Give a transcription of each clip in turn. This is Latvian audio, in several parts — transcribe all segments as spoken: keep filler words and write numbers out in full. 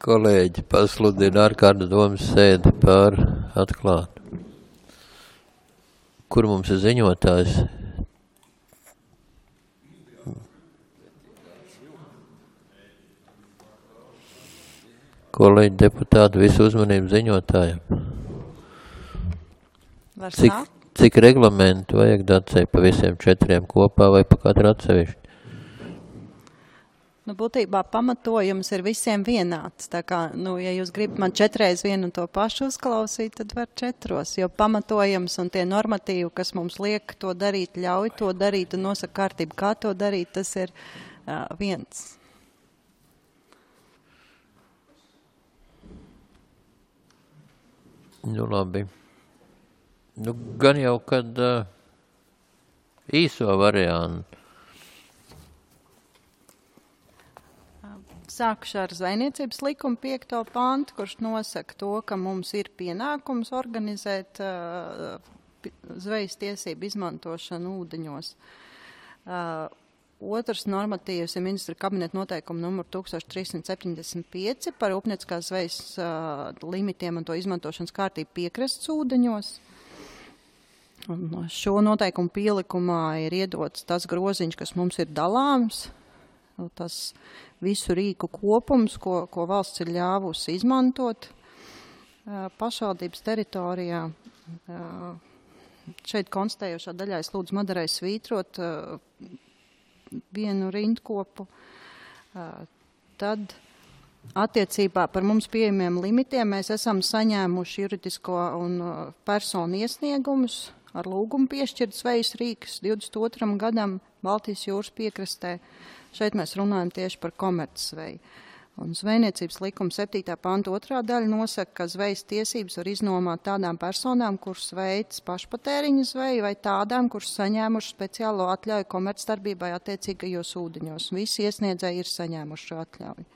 Kolēģi pasludina ārkārtas domas sēdi par atklātu. Kur mums ir ziņotājs? Kolēģi deputāti, visu uzmanību ziņotājiem. Cik, cik reglamentu vajag Dacei pa visiem četriem kopā vai pa katru atsevišķi? Nu, būtībā pamatojums ir visiem vienāds. Tā kā, nu, ja jūs gribat man četreiz vienu un to pašu uzklausīt, tad var četros. Jo pamatojums un tie normatīvi, kas mums liek to darīt, ļauj to darīt un nosaka kārtību, kā to darīt, tas ir uh, viens. Nu, labi. Nu, gan jau, kad uh, īso variantu. Sākuši ar zvejniecības likumu piekto pantu, kurš nosaka to, ka mums ir pienākums organizēt uh, zvejas tiesību izmantošanu ūdeņos. Uh, otrs normatīvs ir ministra kabineta noteikuma numur tūkstoš trīssimt septiņdesmit pieci par rūpnieciskās zvejas uh, limitiem un to izmantošanas kārtību piekrastes ūdeņos. Un šo noteikumu pielikumā ir iedots tas groziņš, kas mums ir dalāms, tas visu rīku kopums, ko, ko valsts ir ļāvusi izmantot uh, pašvaldības teritorijā. Uh, šeit konstatējošā daļā es lūdzu Madarai svītrot uh, vienu rindkopu. Uh, tad attiecībā par mums pieejamiem limitiem mēs esam saņēmuši juridisko un uh, personu iesniegumus ar lūgumu piešķirt zvejas rīkus divdesmit otram gadam Baltijas jūras piekrastē. Šeit mēs runājam tieši par komerczveju. Un zvejniecības likuma septītā panta otrā daļa nosaka, ka zvejas tiesības var iznomāt tādām personām, kuras veic pašpatēriņa zveju, vai tādām, kuras saņēmuši speciālo atļauju komercdarbībai attiecīgajos ūdeņos. Visi iesniedzēji ir saņēmuši šo atļauju.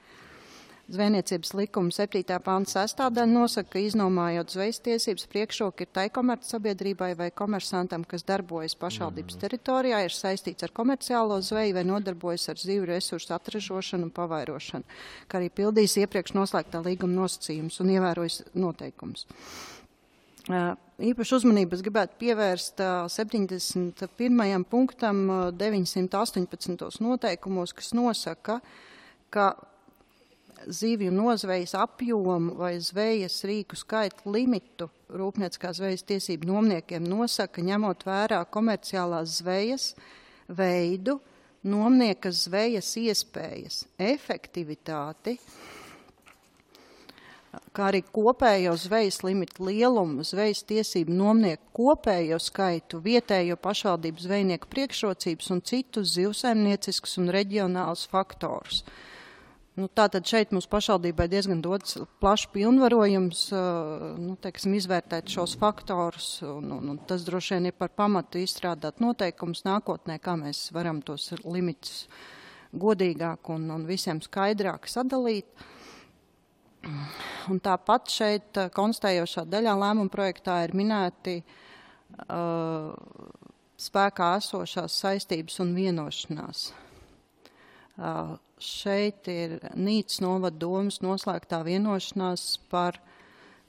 Zvejniecības likuma septītā panta sestā daļa nosaka, ka iznomājot zvejas tiesības priekšroka ir tai komercsabiedrībai vai komersantam, kas darbojas pašvaldības teritorijā, ir saistīts ar komerciālo zveju vai nodarbojas ar zivju resursu atražošanu un pavairošanu, kā arī pildīs iepriekš noslēgtā līguma nosacījumus un ievērojas noteikumus. Īpaši uzmanību es gribētu pievērst septiņdesmit pirmajam punktam deviņsimt astoņpadsmitos noteikumos, kas nosaka, ka zivju nozvejas apjomu vai zvejas rīku skaitu limitu rūpnieciskās zvejas tiesību nomniekiem nosaka, ņemot vērā komerciālās zvejas veidu, nomnieka zvejas iespējas, efektivitāti, kā arī kopējo zvejas limitu lielumu, zvejas tiesību nomnieku kopējo skaitu, vietējo pašvaldību zvejnieku priekšrocības un citus zivsaimnieciskus un reģionālus faktorus. Nu, tātad šeit mums pašvaldībai diezgan dots plašs pilnvarojums, nu, teiksim, izvērtēt šos faktorus, un, un, un tas droši vien ir par pamatu izstrādāt noteikumus nākotnē, kā mēs varam tos limitus godīgāk un, un visiem skaidrāk sadalīt. Un tāpat šeit konstatējošā daļā lēmuma projektā ir minēti uh, spēkā esošās saistības un vienošanās. Uh, šeit ir Nīcas novada domas noslēgtā vienošanās par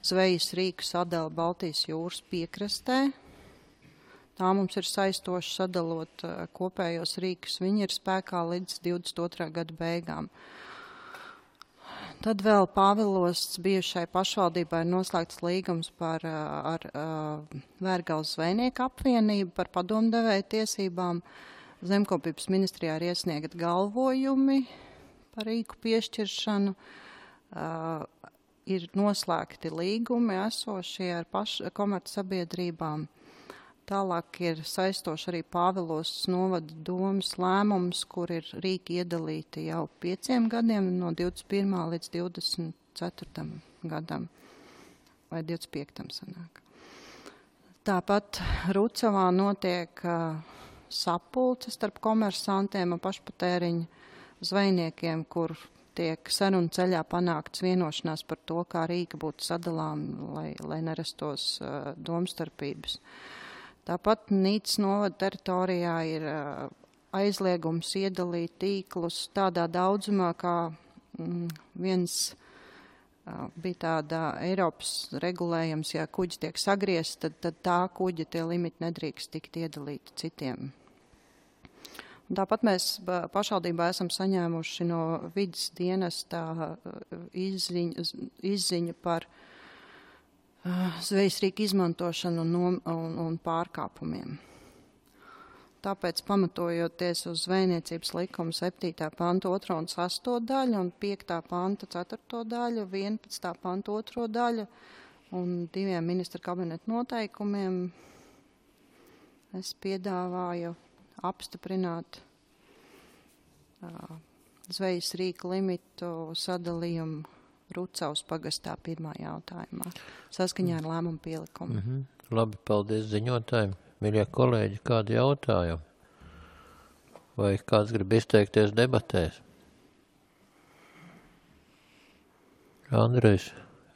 zvejas rīku sadali Baltijas jūras piekrastē. Tā mums ir saistoši sadalot uh, kopējos rīkus. Viņi ir spēkā līdz divdesmit otrā gada beigām. Tad vēl Pāvilos bijušai pašvaldībai ir noslēgts līgums par, uh, ar uh, Vērgales zvejnieku apvienību par padomdevēju tiesībām. Zemkopības ministrijā ir iesniegt galvojumi par rīku piešķiršanu, uh, ir noslēgti līgumi esošie ar pašu komercsabiedrībām. Tālāk ir saistoši arī Pāvilos novada domas lēmums, kur ir rīki iedalīti jau pieciem gadiem, no divdesmit pirmā līdz divdesmit ceturtam gadam, vai divdesmit piektam sanāk. Tāpat Rucavā notiek uh, sapulce starp komersantiem un pašpatēriņu zvejniekiem, kur tiek sarunu ceļā panākts vienošanās par to, kā rīka būtu sadalām, lai, lai nerastos uh, domstarpības. Tāpat Nīcas novada teritorijā ir uh, aizliegums iedalīt tīklus tādā daudzumā, kā mm, viens bija tāda Eiropas regulējums, ja kuģi tiek sagriezti, tad, tad tā kuģa tie limiti nedrīkst tikt iedalīti citiem. Un tāpat mēs pašvaldībā esam saņēmuši no vides dienesta izziņa, izziņa par uh, zvejas rīku izmantošanu un, un, un pārkāpumiem. Tāpēc, pamatojoties uz zvejniecības likuma septītā panta otro un sesto daļu un piektā panta ceturto daļu, vienpadsmitā panta otro daļu un diviem ministra kabineta noteikumiem, es piedāvāju apstiprināt uh, zvejas rīka limitu sadalījumu Rucavas pagastā pirmā jautājumā, saskaņā ar lēmumu pielikumu. Mm-hmm. Labi, paldies ziņotājiem. Miļie kolēģi, kādi jautājumi? Vai kāds grib izteikties debatēs? Andrejs,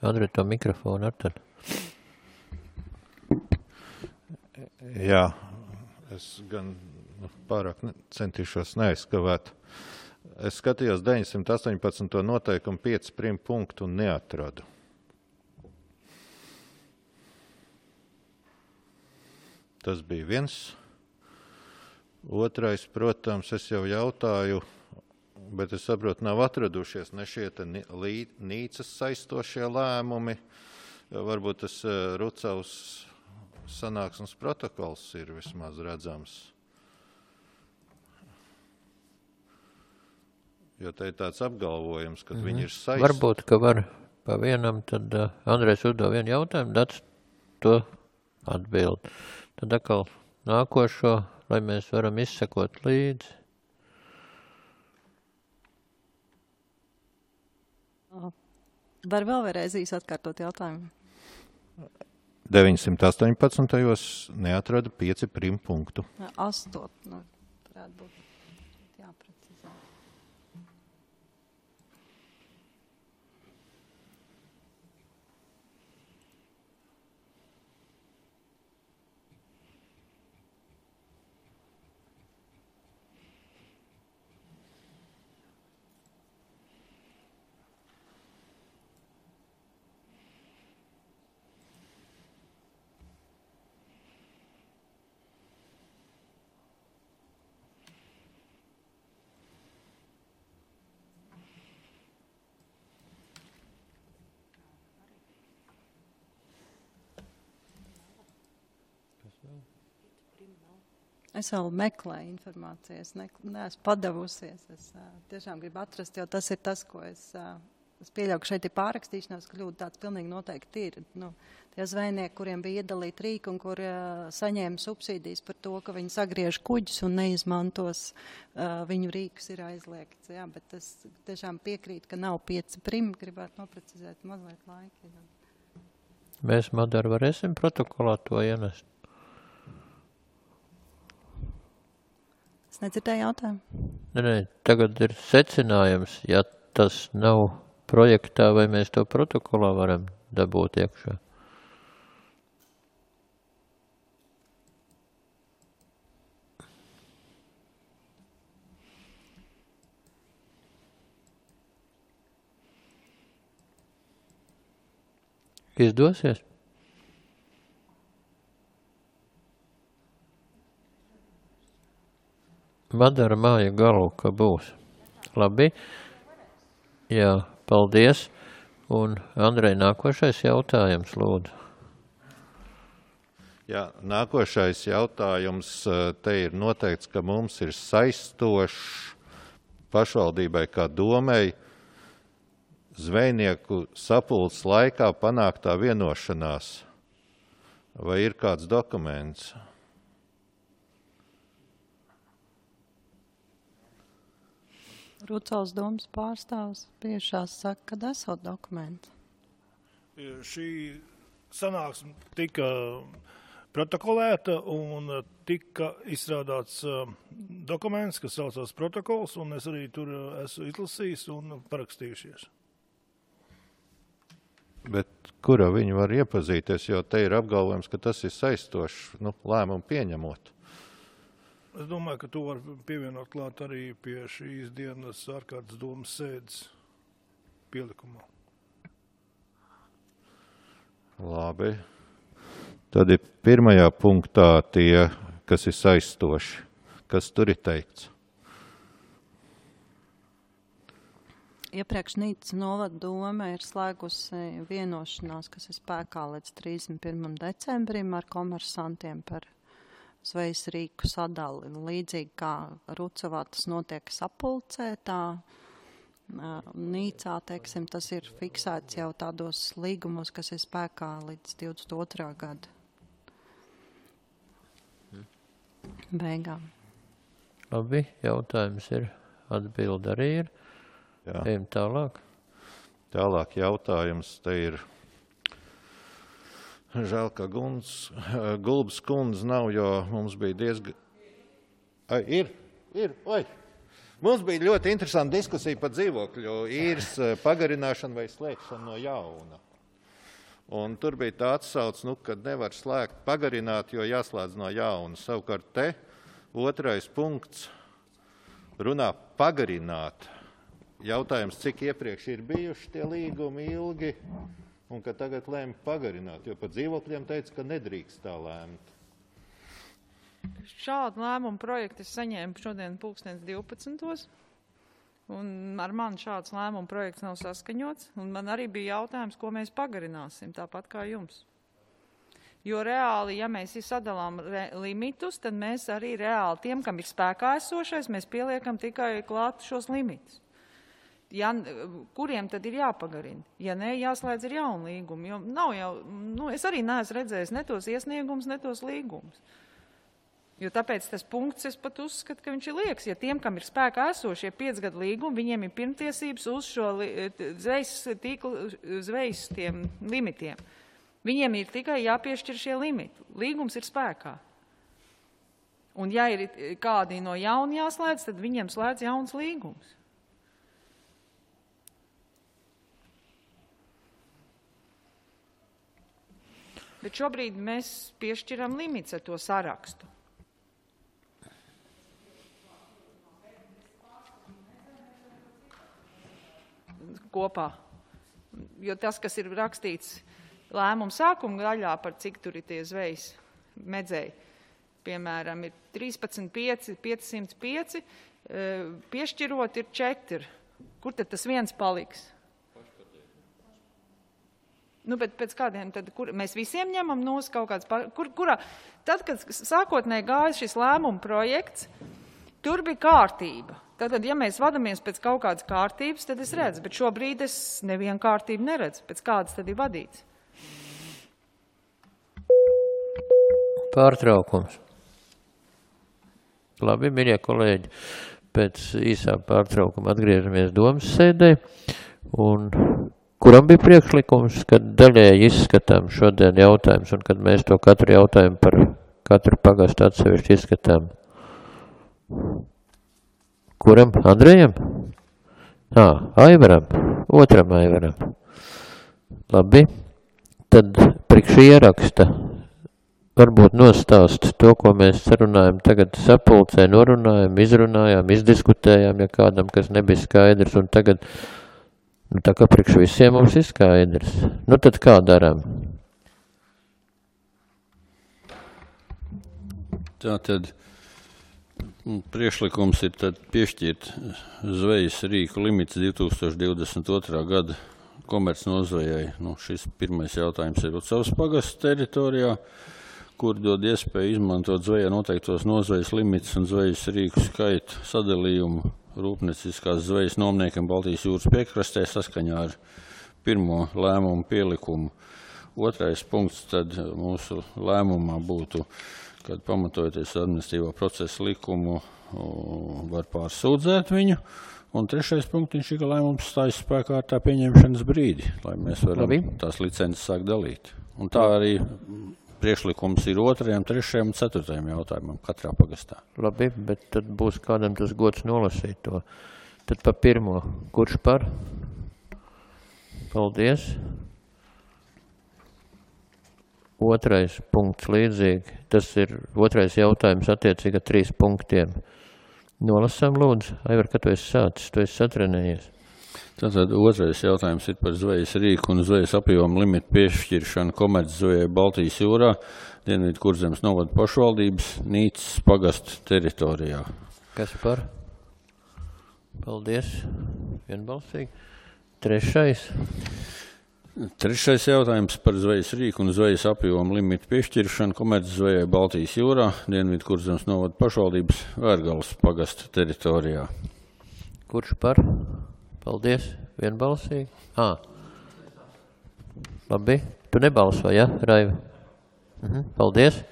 Andrej, to mikrofonu ar tad. Jā, es gan nu, pārāk ne, centīšos neaizskavēt. Es skatījos deviņsimt astoņpadsmito noteikumu pieci prim punktu un neatradu. Tas bija viens. Otrais, protams, es jau jautāju, bet es saprotu, nav atradušies ne šie te Nīcas saistošie lēmumi. Varbūt tas Rucavas sanāksmes protokols ir vismaz redzams. Jo te ir tāds apgalvojums, ka mm-hmm. viņi ir saistīti. Varbūt, ka var pa vienam, tad uh, Andrejs uzdev vienu jautājumu, Dats to atbild. Tad atkal nākošo, lai mēs varam izsekot līdzi. Var vēl vēlreiz īsi atkārtot jautājumu? deviņsimt astoņpadsmitajos neatrada pieci prim punktu. Astot, nu, varētu būt jāprecizē. Es vēl meklēju informāciju, es ne, neesmu padavusies, es uh, tiešām gribu atrast, jo tas ir tas, ko es, uh, es pieļauju, ka šeit ir pārrakstīšanās kļūda, tāds pilnīgi noteikti ir. Nu, tie zvejnieki, kuriem bija iedalīti rīki un kur uh, saņēma subsīdijas par to, ka viņi sagriež kuģus un neizmantos uh, viņu rīkus, ir aizliegts. Jā, bet es tiešām piekrītu, ka nav pieci primi, gribētu noprecizēt mazliet laiki. Jā. Mēs, Madara, varēsim protokolā to ienest? Es nedzirdēju jautājumu. Nē, nē, tagad ir secinājums, ja tas nav projektā, vai mēs to protokolā varam dabūt iekšā. Izdosies? Madara māja galu, ka būs. Labi. Jā, paldies. Un Andrej, nākošais jautājums, lūdzu. Jā, nākošais jautājums. Te ir noteikts, ka mums ir saistošs pašvaldībai kā domei zvejnieku sapulces laikā panāktā vienošanās. Vai ir kāds dokuments? Rucavas domas pārstāvs bijušās saka, ka esot dokumenti. Šī sanāksme tika protokolēta un tika izstrādāts dokuments, kas saucās protokols, un es arī tur esmu izlasījis un parakstījušies. Bet kura viņi var iepazīties, jo te ir apgalvojums, ka tas ir saistošs, nu, lēmumu pieņemot. Es domāju, ka to var pievienot klāt arī pie šīs dienas ārkārtas domas sēdes pielikumā. Labi. Tad ir pirmajā punktā tie, kas ir saistoši. Kas tur ir teikts? Iepriekš Nīcas novada doma ir slēgusi vienošanās, kas ir spēkā līdz trīsdesmit pirmajam decembrim ar komersantiem par zvejas rīku sadali. Līdzīgi kā Rucavā tas notiek sapulcē, tā Nīcā, teiksim, tas ir fiksēts jau tādos līgumos, kas ir spēkā līdz divdesmit otrā gada beigām. Labi, jautājums ir, atbildi arī ir. Jā. Ejam tālāk. Tālāk jautājums te ir. Žēl, ka Guns, Gulbas kundze nav, jo mums bija diezgan... Ai, ir, ir, oi! Mums bija ļoti interesanta diskusija par dzīvokļu īres pagarināšanu vai slēgšanu no jauna. Un tur bija tā atsauc, nu, kad nevar slēgt pagarināt, jo jāslēdz no jauna. Savukārt te otrais punkts runā pagarināt. Jautājums, cik iepriekš ir bijuši tie līgumi ilgi un ka tagad lēma pagarināt, jo par dzīvokļiem teica, ka nedrīkst tā lēmt. Šādu lēmumu projektu es saņēmu šodien pulkstens divpadsmitos, un ar mani šāds lēmumu projekts nav saskaņots, un man arī bija jautājums, ko mēs pagarināsim, tāpat kā jums. Jo reāli, ja mēs sadalām limitus, tad mēs arī reāli tiem, kam ir spēkā esošais, mēs pieliekam tikai klāt šos limitus. Ja, kuriem tad ir jāpagarina? Ja ne, jāslēdz ir jauna līguma. Jo nav jau, nu, es arī neesmu redzējis ne tos iesniegums, ne tos līgumus. Jo tāpēc tas punkts, es pat uzskatu, ka viņš ir lieks. Ja tiem, kam ir spēkā esošie piecgadu līgumi, viņiem ir pirmtiesības uz šo zvejas tīklu, zvejas tiem limitiem. Viņiem ir tikai jāpiešķir šie limiti. Līgums ir spēkā. Un ja ir kādi no jauna jāslēdz, tad viņiem slēdz jauns līgums. Bet šobrīd mēs piešķiram limits ar to sarakstu. Kopā. Jo tas, kas ir rakstīts lēmumu sākuma daļā, par cik tur ir tie zvejas medzēji, piemēram, ir trīspadsmit pieci, piecsimt pieci, piešķirot ir četri. Kur tad tas viens paliks? Nu, bet pēc kādiem, tad, kur, mēs visiem ņemam nos kaut kāds, kur, kurā, tad, kad sākotnēji gāja šis lēmuma projekts, tur bija kārtība. Tātad, ja mēs vadamies pēc kaut kādas kārtības, tad es redzu, bet šobrīd es nevienu kārtību neredzu, pēc kādas tad ir vadīts. Pārtraukums. Labi, mirie kolēģi, pēc īsā pārtraukuma atgriežamies domas sēdē, un kuram bija priekšlikums, kad daļēji izskatām šodien jautājums, un kad mēs to katru jautājumu par katru pagastu atsevišķi izskatām? Kuram? Andrejam? Ā, Aivaram. Otram Aivaram. Labi. Tad priekš ieraksta varbūt nostāst to, ko mēs sarunājam tagad sapulcē, norunājam, izrunājām, izdiskutējām, ja kādam, kas nebija skaidrs, un tagad, nu tā kā priekš visiem mums ir skaidrs. Nu tad kā darām? Tā tad priekšlikums ir tad piešķirt zvejas rīku limits divi tūkstoši divdesmit otrā gada komercnozvejai. Nu, šis pirmais jautājums ir Rucavas pagasts teritorijā, kur dod iespēju izmantot zvejā noteiktos nozvejas limits un zvejas rīku skaitu sadalījumu rūpnieciskās zvejas nomniekiem Baltijas jūras piekrastē saskaņā ar pirmo lēmumu pielikumu. Otrais punkts tad mūsu lēmumā būtu, kad pamatojoties administratīvā procesa likumu, var pārsūdzēt viņu. Un trešais punktiņš ir, ka lēmums stājas spēkā ar tā pieņemšanas brīdi, lai mēs varam Labi. Tās licences sākt dalīt. Un tā arī priekšlikums ir otrajam, trešajam un ceturtajam jautājumam katrā pagastā. Labi, bet tad būs kādam tas gods nolasīt to. Tad pa pirmo, kurš par? Paldies. Otrais punkts līdzīgi. Tas ir otrais jautājums attiecīgi ar trīs punktiem. Nolasām lūdzu. Aivar, kad tu esi sācis, tu esi satrenējies. Tātad otrais jautājums ir par zvejas rīku un zvejas apjomu limitu piešķiršanu komercdzvejai Baltijas jūrā, Dienvidu Kurzemes novada pašvaldības Nīcas pagasta teritorijā. Kas par? Paldies. Vienbalsīgi. Trešais. Trešais jautājums par zvejas rīku un zvejas apjomu limitu piešķiršanu komercdzvejai Baltijas jūrā, Dienvidu Kurzemes novada pašvaldības Vērgalas pagasta teritorijā. Kurš par? Paldies. Vienbalsīgi. Ā. Labi. Tu nebalso, ja, Raiva? Mhm. Paldies.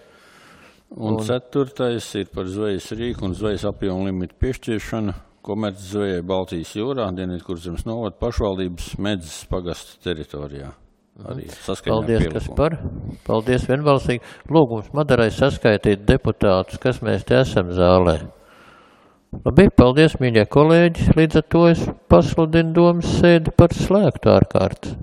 Un, un ceturtais ir par zvejas rīku un zvejas apjomu limitu piešķiršanu komercdzvejai Baltijas jūrā, Dienvidu Kurzemes novada pašvaldības Medzes pagasta teritorijā. Arī saskaņā Paldies, kas par? Paldies, vienbalsīgi. Lūgums Madarai saskaitīt deputātus, kas mēs te esam zālē. Labi, paldies, mīļie kolēģi. Līdz ar to es pasludinu domas sēdi par slēgtu ārkārtas.